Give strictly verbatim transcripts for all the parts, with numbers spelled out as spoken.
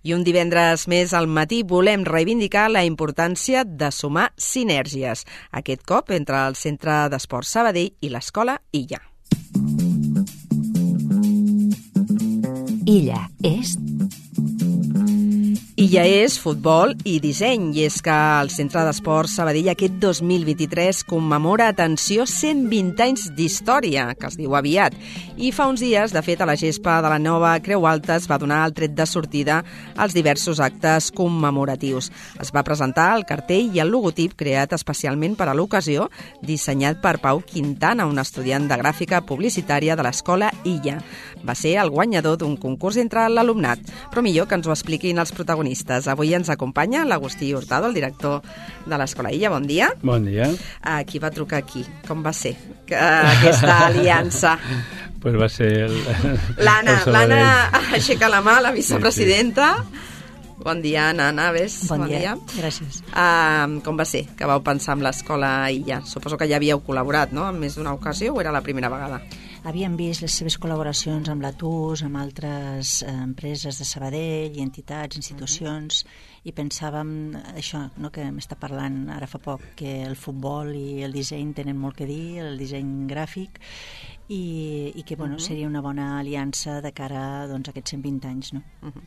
I un divendres més al matí volem reivindicar la importància de sumar sinergies, aquest cop entre el Centre d'Esport Sabadell i l'Escola Illa. Illa és... Illa és futbol i disseny, i és que el Centre d'Esport Sabadell aquest dos mil vint-i-tres commemora, atenció, cent vint anys d'història, que es diu aviat. I fa uns dies, de fet, a la gespa de la nova Creu Alta es va donar el tret de sortida als diversos actes commemoratius. Es va presentar el cartell i el logotip creat especialment per a l'ocasió, dissenyat per Pau Quintana, un estudiant de gràfica publicitària de l'Escola Illa. Va ser el guanyador d'un concurs entre l'alumnat, però millor que ens ho expliquin els protagonistes. Avui ens acompanya l'Agustí Hurtado, el director de l'Escola Illa. Bon dia. Bon dia. A qui va trucar aquí? Com va ser aquesta aliança? Pues va ser... El, L'Anna, el l'Anna aixeca la mà, la vicepresidenta. Sí, sí. Bon dia, Anna Naves. Bon, bon dia. dia, gràcies. Uh, com va ser que vau pensar en l'Escola Illa? Suposo que ja havíeu col·laborat, no?, en més d'una ocasió, o era la primera vegada? Havíem vist les seves col·laboracions amb la T U S, amb altres eh, empreses de Sabadell i entitats, institucions, uh-huh. i pensàvem això, no, que m'està parlant ara fa poc, que el futbol i el disseny tenen molt que dir, el disseny gràfic, i, i que bueno, uh-huh. seria una bona aliança de cara doncs, a aquests cent vint anys. No? Uh-huh.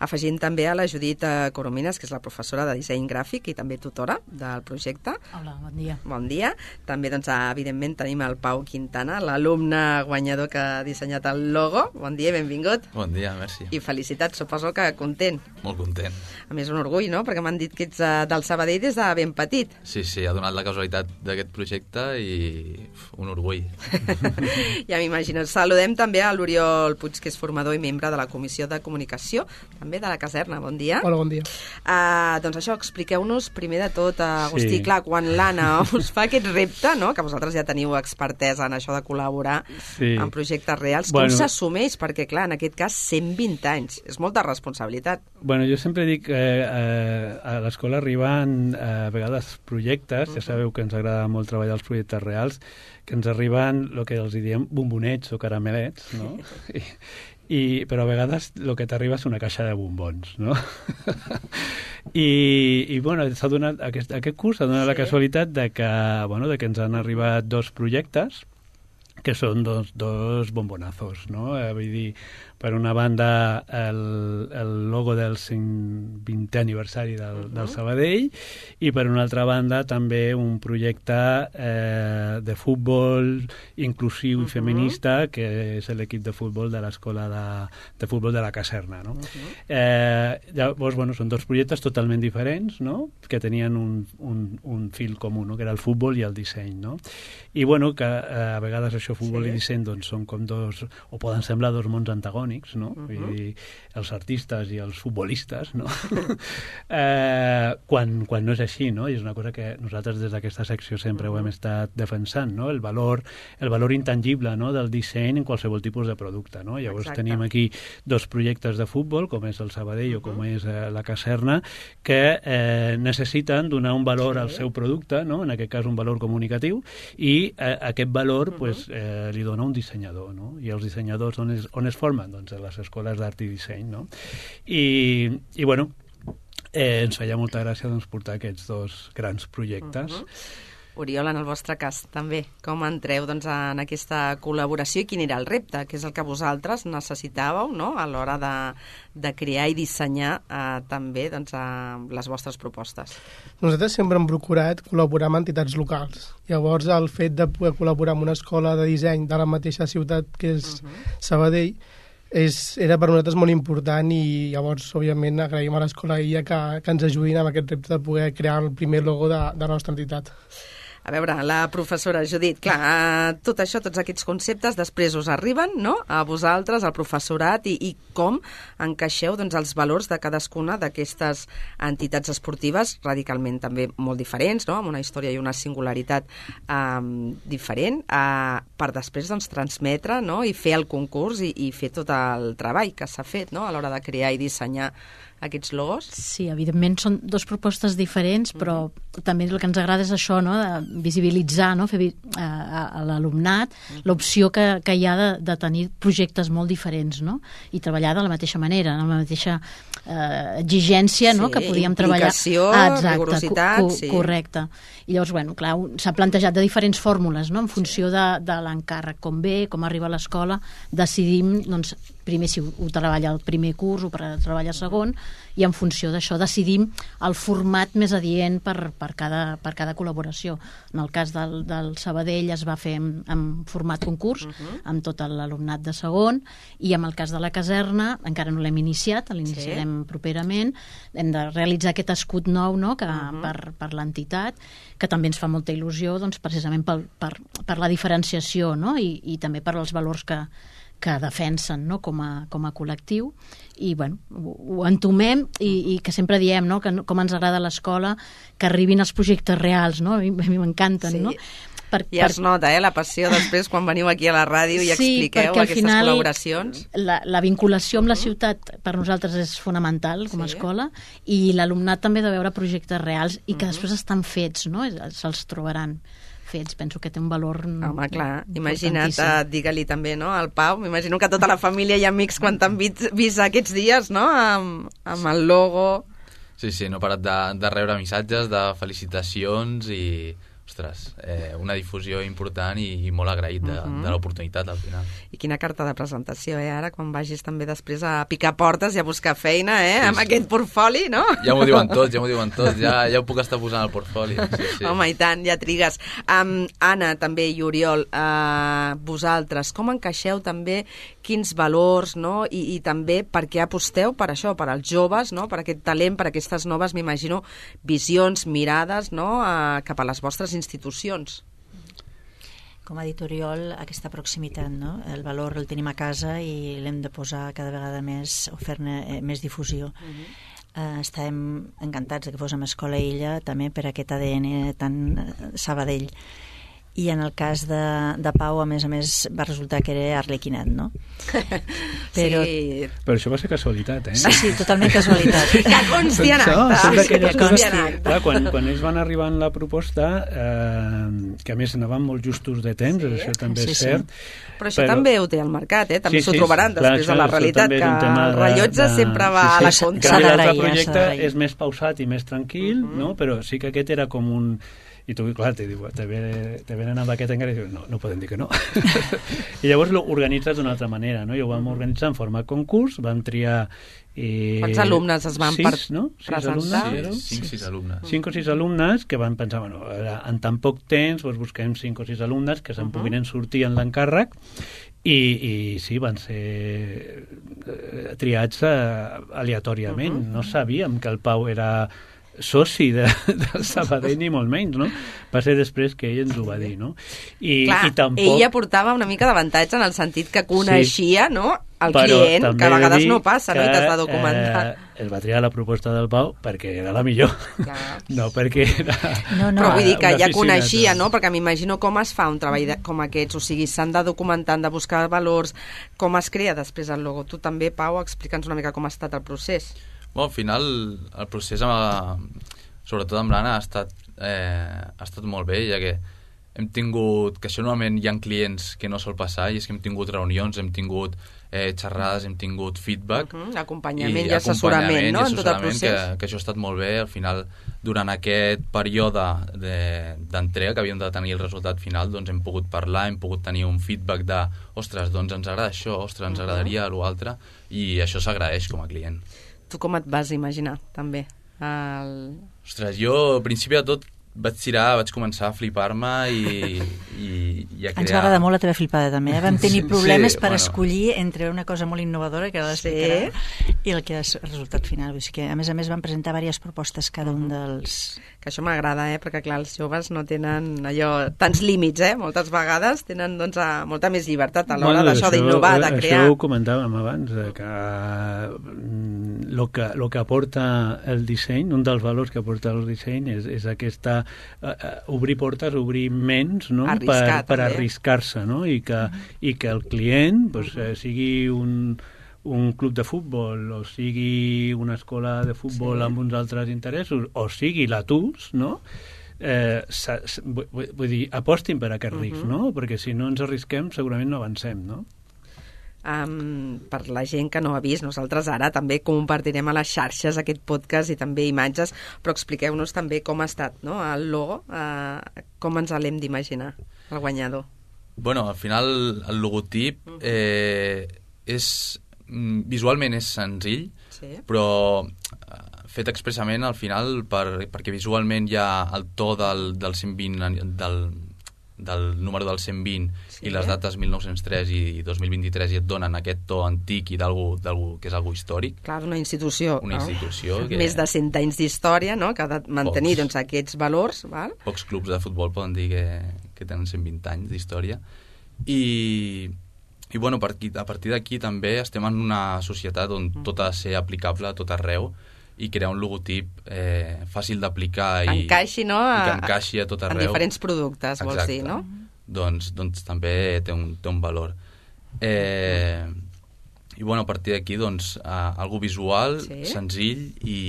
Afegint també a la Judit Coromines, que és la professora de disseny gràfic i també tutora del projecte. Hola, bon dia. Bon dia. També, doncs, evidentment, tenim el Pau Quintana, l'alumne guanyador que ha dissenyat el logo. Bon dia i benvingut. Bon dia, merci. I felicitats, suposo que content. Molt content. A més, un orgull, no?, perquè m'han dit que ets del Sabadell des de ben petit. Sí, sí, ha donat la casualitat d'aquest projecte i uf, un orgull. Ja m'imagino. Saludem també a l'Oriol Puig, que és formador i membre de la Comissió de Comunicació, també de la Caserna. Bon dia. Hola, bon dia. Uh, doncs això, expliqueu-nos primer de tot, uh, Agustí, sí. clar, quan l'Anna us fa aquest repte, no?, que vosaltres ja teniu expertesa en això de col·laborar sí. en projectes reals, bueno, com s'assumeix? Perquè, clar, en aquest cas, cent vint anys. És molta responsabilitat. Bueno, jo sempre dic que eh, a l'escola arriben eh, a vegades projectes, uh-huh. ja sabeu que ens agrada molt treballar els projectes reals, que ens arriben el que els diem bombonets o caramelets, no? I, i, però a vegades el que t'arriba és una caixa de bombons, no? I, i bueno, s'ha donat, aquest, aquest curs s'ha donat sí. la casualitat de que, bueno, de que ens han arribat dos projectes que són dos, dos bombonazos, no? Eh, vull dir, per una banda el, el logo del vintè aniversari del, uh-huh. del Sabadell, i per una altra banda també un projecte eh, de futbol inclusiu uh-huh. i feminista, que és l'equip de futbol de l'escola de, de futbol de la Caserna, no? Uh-huh. eh, llavors, bueno, són dos projectes totalment diferents, no?, que tenien un, un, un fil comú, no?, que era el futbol i el disseny, no? I bueno, que eh, a vegades això, futbol sí. i disseny, doncs són com dos, o poden semblar dos mons antagònics, no? Uh-huh. Vull dir, els artistes i els futbolistes, no? eh, quan, quan no és així, no? I és una cosa que nosaltres des d'aquesta secció sempre uh-huh. ho hem estat defensant, no? El valor, el valor intangible, no?, del disseny en qualsevol tipus de producte, no? Llavors Exacte. Tenim aquí dos projectes de futbol, com és el Sabadell uh-huh. o com és eh, la Caserna, que eh, necessiten donar un valor sí. al seu producte, no?, en aquest cas un valor comunicatiu, i eh, aquest valor uh-huh. pues, eh, li dona un dissenyador, no? I els dissenyadors on es, on es formen? Doncs a les escoles d'art i disseny, no? I, i bueno, eh, ens feia molta gràcia doncs, portar aquests dos grans projectes. Uh-huh. Oriol, en el vostre cas, també, com entreu doncs, en aquesta col·laboració i quin era el repte, que és el que vosaltres necessitàveu, no?, a l'hora de, de crear i dissenyar eh, també doncs, eh, les vostres propostes? Nosaltres sempre hem procurat col·laborar amb entitats locals. Llavors, el fet de poder col·laborar amb una escola de disseny de la mateixa ciutat que és uh-huh. Sabadell és, era per nosaltres molt important, i llavors, òbviament, agraïm a l'Escola Illa que, que ens ajudin amb aquest repte de poder crear el primer logo de, de la nostra entitat. A veure, la professora Judit, clar, tot això, tots aquests conceptes, després us arriben, no?, a vosaltres, al professorat, i, i com encaixeu doncs, els valors de cadascuna d'aquestes entitats esportives radicalment també molt diferents, no?, amb una història i una singularitat eh, diferent, eh, per després doncs, transmetre, no?, i fer el concurs i, i fer tot el treball que s'ha fet, no?, a l'hora de crear i dissenyar aquests logos? Sí, evidentment són dues propostes diferents, però mm-hmm. també el que ens agrada és això, no? De visibilitzar, no? Fer vi a, a, a l'alumnat mm-hmm. l'opció que, que hi ha de, de tenir projectes molt diferents, no? I treballar de la mateixa manera, amb la mateixa eh, exigència, sí, no? Que podíem treballar. Implicació, ah, exacte, rigorositat. Co co sí. Correcte. I llavors, bueno, clar, s'ha plantejat de diferents fórmules, no? En funció de, de l'encàrrec, com ve, com arriba a l'escola, decidim, doncs, primer si ho, ho treballa el primer curs o per treballar el segon, i en funció d'això decidim el format més adient per, per, cada, per cada col·laboració. En el cas del, del Sabadell es va fer en, en format concurs, uh-huh. amb tot l'alumnat de segon, i en el cas de la Caserna encara no l'hem iniciat, l'iniciarem sí. properament, hem de realitzar aquest escut nou, no? Que, uh-huh. per, per l'entitat, que també ens fa molta il·lusió, doncs, precisament per, per, per la diferenciació, no? I, i també per als valors que que defensen, no? com, a, com a col·lectiu, i bueno, ho, ho entomem i, i que sempre diem, no? Que com ens agrada l'escola, que arribin els projectes reals, no? A mi, a mi m'encanten, sí. no? Per, I es per... nota, eh, la passió després quan veniu aquí a la ràdio i sí, expliqueu aquestes final, col·laboracions. La, la vinculació amb uh-huh. la ciutat per nosaltres és fonamental com a sí. escola, i l'alumnat també de veure projectes reals i que uh-huh. després estan fets, no? Se'ls trobaran fets, penso que té un valor. Home, clar, imagina't, uh, digue-li també, no, al Pau, m'imagino que tota la família i amics quan t'han vist, vist aquests dies, no, amb, amb el logo. Sí, sí, no he parat de, de rebre missatges, de felicitacions i, ostres, eh, una difusió important i, i molt agraït de, uh-huh. de l'oportunitat al final. I quina carta de presentació, eh, ara, quan vagis també després a picar portes i a buscar feina, eh, sí, amb sí. aquest portfoli, no? Ja m'ho diuen tots, ja m'ho diuen tots, ja, ja ho puc estar posant al portfoli. Sí, sí. Home, i tant, ja trigues. Um, Anna, també, i Oriol, uh, vosaltres, com encaixeu també quins valors, no?, I, i també per què aposteu per això, per als joves, no?, per aquest talent, per aquestes noves, m'imagino, visions, mirades, no?, uh, cap a les vostres institucions. Com ha dit Oriol, aquesta proximitat, no? El valor el tenim a casa i l'hem de posar cada vegada més, o fer-ne eh, més difusió. Uh-huh. eh, estàvem encantats que fos amb Escola Illa, també per aquest A D N tan Sabadell. I en el cas de, de Pau, a més a més, va resultar que era Arlequinat, no? Però... Sí. Però això va ser casualitat, eh? Sí, sí, totalment casualitat. Que consti en acte. Són que consti en acte. Clar, quan, quan ells van arribar en la proposta, eh, que a més anaven molt justos de temps, sí. això també sí, és cert. Sí. Però això però... també ho té al mercat, eh? També sí, s'ho sí, trobaran clar, després això, de la realitat, que el rellotge de... sempre va sí, sí, a la contra. L'altre projecte és més pausat i més tranquil, uh-huh. no? Però sí que aquest era com un... I tu, clar, te, diu, te, ve, te venen amb aquest encara i dius, no, no podem dir que no. I llavors l'organitzes d'una altra manera, no? I ho vam organitzar en forma concurs, vam triar... Eh, Quants alumnes es van sis, no? sis presentar? Alumnes, sí, cinc o sis alumnes. Cinc o sis alumnes que van pensar, bueno, en tan poc temps doncs busquem cinc o sis alumnes que se'n uh-huh. puguin sortir en l'encàrrec i, i sí, van ser eh, triats eh, aleatòriament. Uh-huh. No sabíem que el Pau era... soci de, del Sabadell ni molt menys, no? Va ser després que ell ens ho va dir, no? I, clar, i tampoc... ella portava una mica d'avantatge en el sentit que coneixia, sí, no?, el client, que a vegades no passa, no?, i t'has de documentar. Eh, es va triar la proposta del Pau perquè era la millor, clar. No perquè era... No, no. Però vull dir que ja coneixia, no?, perquè m'imagino com es fa un treball de, com aquests, o sigui, s'han de documentar, han de buscar valors, com es crea després el logo. Tu també, Pau, explica'ns una mica com ha estat el procés. Bueno, al final el procés amb, sobretot amb l'Anna ha estat, eh, ha estat molt bé, ja que hem tingut, que això normalment hi ha clients que no sol passar, i és que hem tingut reunions, hem tingut eh, xerrades, hem tingut feedback, uh-huh, acompanyament i, i assessorament, no?, en tot el procés, que, que això ha estat molt bé. Al final, durant aquest període d'entrega que havíem de tenir el resultat final, doncs hem pogut parlar, hem pogut tenir un feedback de, ostres, doncs ens agrada això, ostres, ens agradaria uh-huh. l'altre, i això s'agraeix com a client. Tu com et vas imaginar, també? El... Ostres, jo, al principi de tot, vaig tirar, vaig començar a flipar-me i, i, i a crear... Ens va agradar molt la teva flipada, també. Eh? Vam tenir problemes sí, per bueno. escollir entre una cosa molt innovadora, que ara l'explicarà, sí. i el que és el resultat final. O sigui que, a més a més, van presentar diverses propostes cada un dels... Que això m'agrada, eh? Perquè, clar, els joves no tenen allò, tants límits, eh? Moltes vegades tenen, doncs, a, molta més llibertat a l'hora bueno, d'això d'innovar, de crear. Això ho comentàvem abans, que el que, lo que aporta el disseny, un dels valors que aporta el disseny és, és aquesta uh, obrir portes, obrir ments, no? Arriscar, per, per arriscar-se, no? I que, uh-huh. i que el client pues, eh, sigui un un club de futbol, o sigui una escola de futbol sí. amb uns altres interessos, o sigui l'Atus, no? Eh, sa, sa, vull, vull dir, apostin per aquest risc, uh -huh. no? Perquè si no ens arrisquem segurament no avancem, no? Um, per la gent que no ha vist, nosaltres ara també compartirem a les xarxes aquest podcast i també imatges, però expliqueu-nos també com ha estat, no? El logo, uh, com ens l'hem d'imaginar, el guanyador. Bueno, al final el logotip eh, és visualment és senzill, sí. però fet expressament al final per, perquè visualment hi ha el to del, del cent vint del, del número del cent vint sí. i les dates mil nou-cents tres i dos mil vint-i-tres i et donen aquest to antic i d'algú que és algú històric. Clar, d'una institució. Una no? institució. Que... Més de cent anys d'història, no? Que ha de mantenir doncs, aquests valors. Val? Pocs clubs de futbol poden dir que, que tenen cent vint anys d'història. I... I bueno, a partir d'aquí també estem en una societat on tot ha de ser aplicable a tot arreu i crear un logotip eh, fàcil d'aplicar i, encaixi, no? i que encaixi a tot arreu. En diferents productes, Exacte. Vols dir, no? Doncs, doncs també té un, té un valor. Eh, I bueno, a partir d'aquí, doncs, uh, algo visual, sí? senzill i,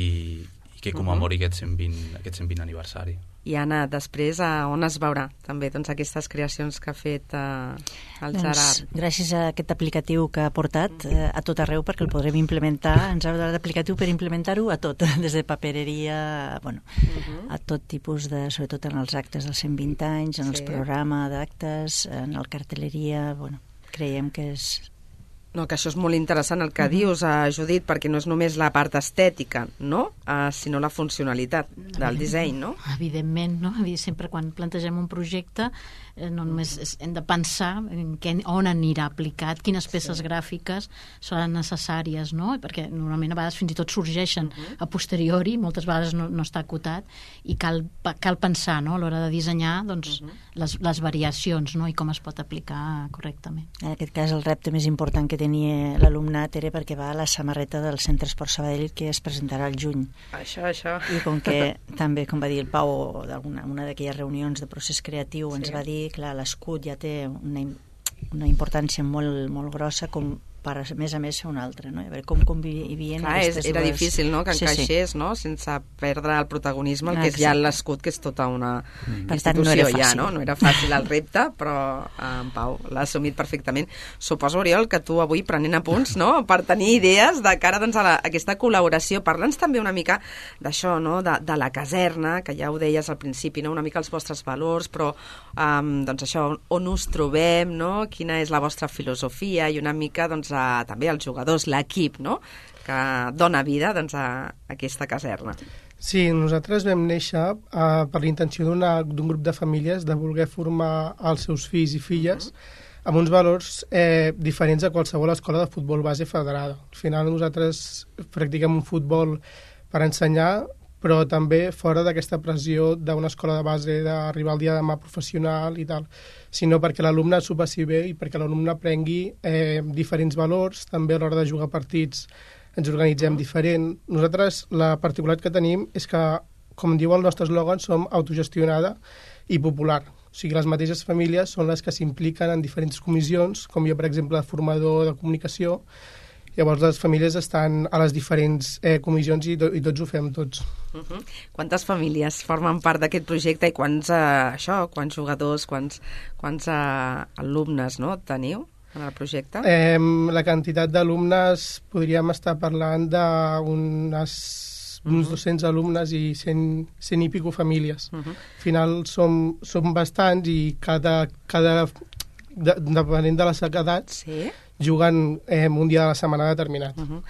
i que commemori uh -huh. aquest cent vint, aquest cent vint aniversari. I Anna, després a on es veurà també doncs, aquestes creacions que ha fet eh, el doncs, Gerard? Gràcies a aquest aplicatiu que ha portat eh, a tot arreu, perquè el podrem implementar, ens ha donat l'aplicatiu per implementar-ho a tot, des de papereria, bueno, uh-huh. a tot tipus de, sobretot en els actes dels cent vint anys, en sí. els programes d'actes, en el cartelleria, bueno, creiem que és... No, que això és molt interessant el que uh-huh. dius, uh, Judit, perquè no és només la part estètica, no? Uh, sinó la funcionalitat del disseny, no? Evidentment, no? Sempre quan plantegem un projecte eh, no només és, hem de pensar en què, on anirà aplicat, quines peces sí. gràfiques seran necessàries, no? Perquè normalment a vegades fins i tot sorgeixen uh-huh. a posteriori, moltes vegades no, no està acotat, i cal, cal pensar, no? A l'hora de dissenyar doncs, uh-huh. les, les variacions, no? I com es pot aplicar correctament. En aquest cas el repte més important que tenia l'alumnat era perquè va a la samarreta del Centre Esport Sabadell que es presentarà al juny. Això, això. I com que també, com va dir el Pau, d'alguna una d'aquelles reunions de procés creatiu sí. ens va dir, clar, l'escut ja té una, una importància molt, molt grossa com per, a més a més, ser un altre, no? A veure com convivien clar, aquestes era dues... difícil, no?, que sí, encaixés, sí. no?, sense perdre el protagonisme, el ah, que és ja l'escut, que és tota una mm. institució, no era ja, no? No era fàcil el repte, però en Pau l'ha assumit perfectament. Suposo, Oriol, que tu avui prenent apunts, no?, per tenir idees de cara doncs, a, la, a aquesta col·laboració. Parla'ns també una mica d'això, no?, de, de la caserna, que ja ho deies al principi, no?, una mica els vostres valors, però um, doncs això, on us trobem, no?, quina és la vostra filosofia i una mica, doncs, a, també els jugadors, l'equip, no?, que dona vida doncs, a aquesta caserna. Sí, nosaltres vam néixer uh, per l'intenció d'un grup de famílies de voler formar els seus fills i filles uh-huh. amb uns valors eh, diferents a qualsevol escola de futbol base federada. Al final nosaltres practiquem un futbol per ensenyar, però també fora d'aquesta pressió d'una escola de base d'arribar al dia de demà professional i tal, sinó perquè l'alumne s'ho passi bé i perquè l'alumne aprengui eh, diferents valors, també a l'hora de jugar partits ens organitzem diferent. Nosaltres la particularitat que tenim és que, com diu el nostre eslògan, som autogestionada i popular. O sigui, les mateixes famílies són les que s'impliquen en diferents comissions, com jo, per exemple, de formador de comunicació. Llavors les famílies estan a les diferents eh, comissions i, do, i tots ho fem tots. Uh-huh. Quantes famílies formen part d'aquest projecte i quants, eh, això, quants jugadors, quants, quants eh, alumnes, no, teniu en el projecte? Eh, la quantitat d'alumnes podríem estar parlant d'unes uns dos-cents alumnes i cent, cent i pico famílies. Uh-huh. Al final som, som bastants i cada, cada de, depenent de les edats sí? juguen eh, un dia de la setmana determinat. Uh-huh.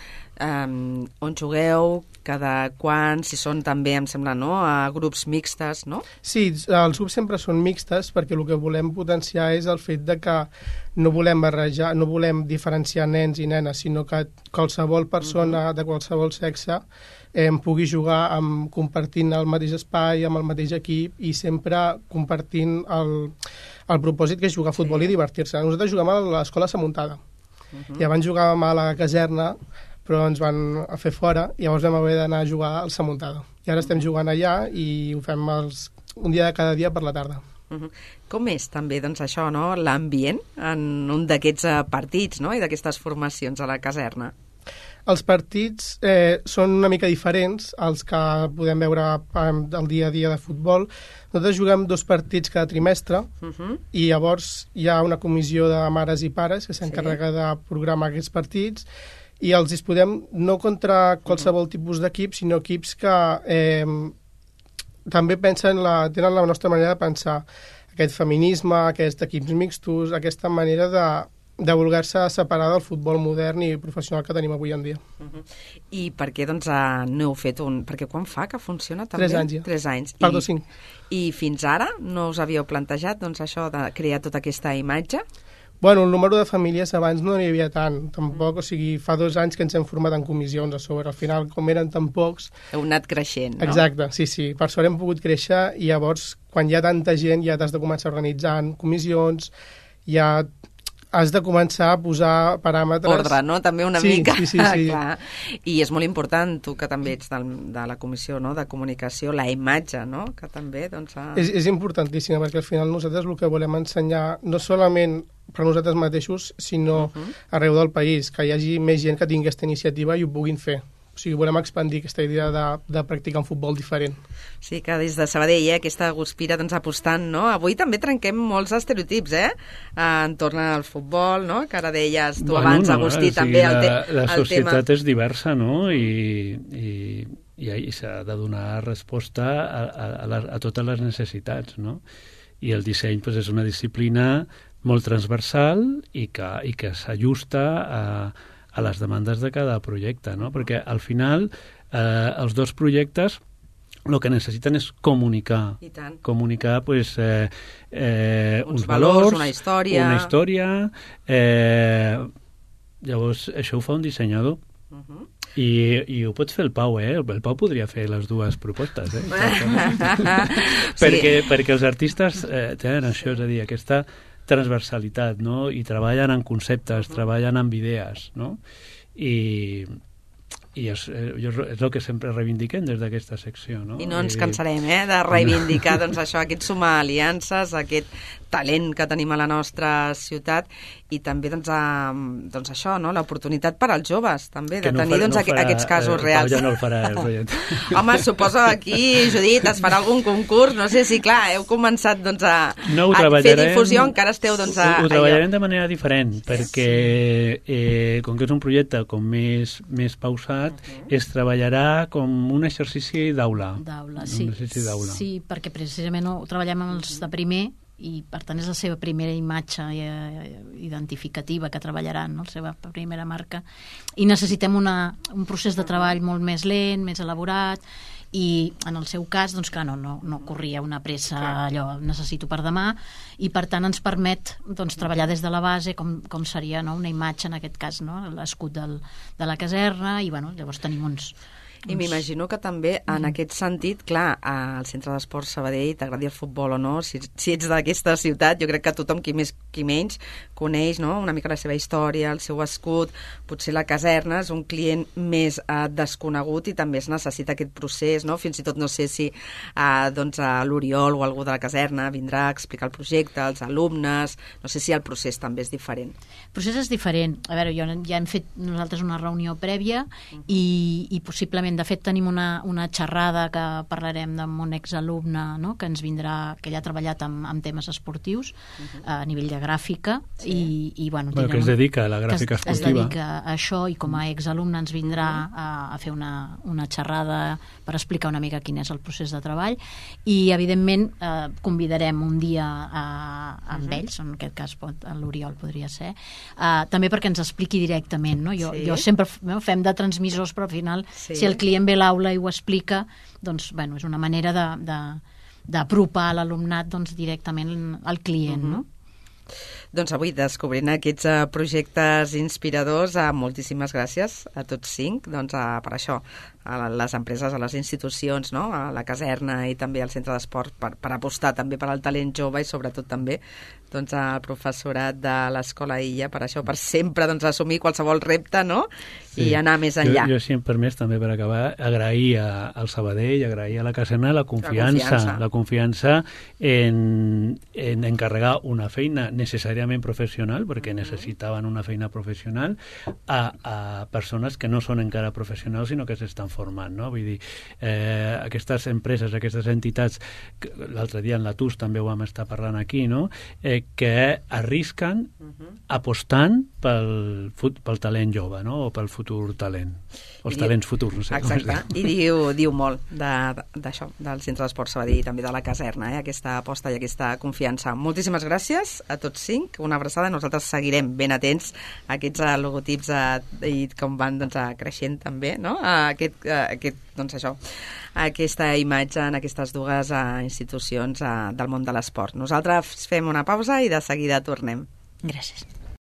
Um, on jugueu, cada quan, si són també, em sembla, no?, a grups mixtes, no? Sí, els grups sempre són mixtes perquè el que volem potenciar és el fet de que no volem barrejar, no volem diferenciar nens i nenes, sinó que qualsevol persona uh-huh. de qualsevol sexe eh, pugui jugar amb, compartint el mateix espai, amb el mateix equip i sempre compartint el, el propòsit que és jugar a futbol sí. i divertir-se. Nosaltres juguem a l'escola Samuntada uh-huh. i abans jugàvem a la caserna, però ens van a fer fora i llavors vam haver d'anar a jugar al Samuntada. I ara estem jugant allà i ho fem els, un dia de cada dia per la tarda. Uh-huh. Com és també doncs, això, no? L'ambient en un d'aquests uh, partits, no? I d'aquestes formacions a la caserna? Els partits eh, són una mica diferents als que podem veure al dia a dia de futbol. Nosaltres juguem dos partits cada trimestre uh-huh. i llavors hi ha una comissió de mares i pares que s'encarrega sí. de programar aquests partits i els disputem no contra qualsevol uh-huh. tipus d'equip, sinó equips que eh, també pensen la, tenen la nostra manera de pensar. Aquest feminisme, aquests equips mixtos, aquesta manera de de voler-se separar del futbol modern i professional que tenim avui en dia. Uh-huh. I per què doncs, uh, no heu fet un... Perquè quan fa que funciona també? Tres anys ja. Tres anys. Perdó, I, cinc. I fins ara no us havíeu plantejat doncs, això de crear tota aquesta imatge? Bueno, el número de famílies abans no n'hi havia tant, tampoc, o sigui, fa dos anys que ens hem format en comissions a sobre, al final, com eren tan pocs... Heu anat creixent, no? Exacte, sí, sí, per sort hem pogut créixer i llavors, quan hi ha tanta gent, ja t'has de començar a organitzar en comissions, ja has de començar a posar paràmetres... Ordre, no? També una sí, mica. Sí, sí, sí. Clar. I és molt important, tu que també ets del, de la comissió no? de comunicació, la imatge, no? Que també, doncs... Ha... És, és importantíssima, perquè al final nosaltres el que volem ensenyar, no solament per nosaltres mateixos, sinó uh-huh. arreu del país, que hi hagi més gent que tingui aquesta iniciativa i ho puguin fer. O sigui, volem expandir aquesta idea de, de practicar un futbol diferent. Sí, que des de Sabadell, eh, aquesta Guspira doncs, apostant, no? Avui també trenquem molts estereotips, eh? Entorn al futbol, no? Que ara deies tu bueno, abans, no, Agustí, o sigui, també el, te la, la el tema... societat és diversa, no? I, i, i s'ha de donar resposta a, a, a, les, a totes les necessitats, no? I el disseny pues, és una disciplina molt transversal i que, i que s'ajusta a a les demandes de cada projecte, no? Perquè al final eh, els dos projectes el que necessiten és comunicar. I tant. Comunicar pues, eh, eh, uns, uns valors, valors, una història... Una història. Eh, llavors, això ho fa un dissenyador. Uh-huh. I, i ho pots fer el Pau, eh? El Pau podria fer les dues propostes, eh? perquè, sí. perquè els artistes eh, tenen això, és a dir, aquesta transversalitat, no? I treballen en conceptes, uh-huh. treballen amb idees, no? I, i és, és el que sempre reivindiquem des d'aquesta secció, no? I no ens cansarem, eh, de reivindicar doncs, això, aquest sumar aliances, aquest talent que tenim a la nostra ciutat i també doncs, a, doncs això, no? L'oportunitat per als joves també, de no tenir farà, doncs, no farà, aquests casos eh, reals. Ja no el farà el projecte. Home, suposo aquí, Judit, es farà algun concurs, no sé si, clar, heu començat doncs, a, no a fer difusió, encara esteu doncs, a... Ho, ho treballarem de manera diferent, perquè eh, com que és un projecte com més, més pausat, uh-huh. es treballarà com un exercici d'aula. D'aula, sí. Un exercici d'aula. Sí, perquè precisament ho treballem amb els de primer, i per tant és la seva primera imatge identificativa que treballaran, no? La seva primera marca, i necessitem una, un procés de treball molt més lent, més elaborat, i en el seu cas, doncs clar, no, no, no corria una pressa, allò necessito per demà, i per tant ens permet doncs, treballar des de la base com, com seria, no? Una imatge, en aquest cas, no? L'escut del, de la caserna, i bueno, llavors tenim uns... I m'imagino que també, en aquest sentit, clar, al Centre d'Esports Sabadell, t'agradi el futbol o no, si, si ets d'aquesta ciutat, jo crec que tothom, qui més qui menys, coneix no? una mica la seva història, el seu escut, potser la caserna és un client més eh, desconegut i també es necessita aquest procés, no? Fins i tot no sé si eh, doncs, l'Oriol o algú de la caserna vindrà a explicar el projecte, els alumnes, no sé si el procés també és diferent. El procés és diferent. A veure, jo, ja hem fet nosaltres una reunió prèvia uh-huh. i, i possiblement de fet tenim una, una xerrada que parlarem amb un exalumne, no? Que ens vindrà, que ja ha treballat amb, amb temes esportius uh-huh. a nivell de gràfica sí. i, i bueno, bueno que es dedica a la gràfica es, esportiva. Es dedica a això i com a exalumne ens vindrà a, a fer una, una xerrada per explicar una mica quin és el procés de treball i evidentment eh, convidarem un dia a, amb uh-huh. ells, en aquest cas pot, l'Oriol podria ser, eh, també perquè ens expliqui directament, no? Jo, sí. jo sempre no, fem de transmissors, però al final sí. si el client ve a l'aula i ho explica, doncs, bueno, és una manera de, de, d'apropar l'alumnat doncs, directament al client, uh-huh. no? Doncs avui descobrint aquests uh, projectes inspiradors, uh, moltíssimes gràcies a tots cinc doncs, uh, per això, a les empreses, a les institucions, no? A la caserna i també al centre d'esport per, per apostar també per al talent jove i sobretot també doncs, al professorat de l'Escola Illa per això, per sempre doncs, assumir qualsevol repte, no? Sí. I anar més enllà. Jo, jo si em permès també per acabar, agrair a, al Sabadell, agrair a la caserna la confiança, la confiança, la confiança en, en encarregar una feina necessàriament professional, perquè mm-hmm. necessitaven una feina professional, a, a persones que no són encara professionals, sinó que s'estan formant, no? Vull dir, eh, aquestes empreses, aquestes entitats, l'altre dia en la T U S també ho vam estar parlant aquí, no? Eh, que arrisquen uh-huh. apostant pel, pel talent jove, no? O pel futur talent, o els I talents diu, futurs, no sé. Exacte, i diu, diu molt d'això, de, del Centre d'Esport Sabadell i també de la caserna, eh? Aquesta aposta i aquesta confiança. Moltíssimes gràcies a tots cinc, una abraçada, nosaltres seguirem ben atents a aquests uh, logotips uh, i com van doncs, uh, creixent també, no? Uh, aquest, uh, aquest, doncs això, aquesta imatge en aquestes dues uh, institucions uh, del món de l'esport. Nosaltres fem una pausa i de seguida tornem. Gràcies.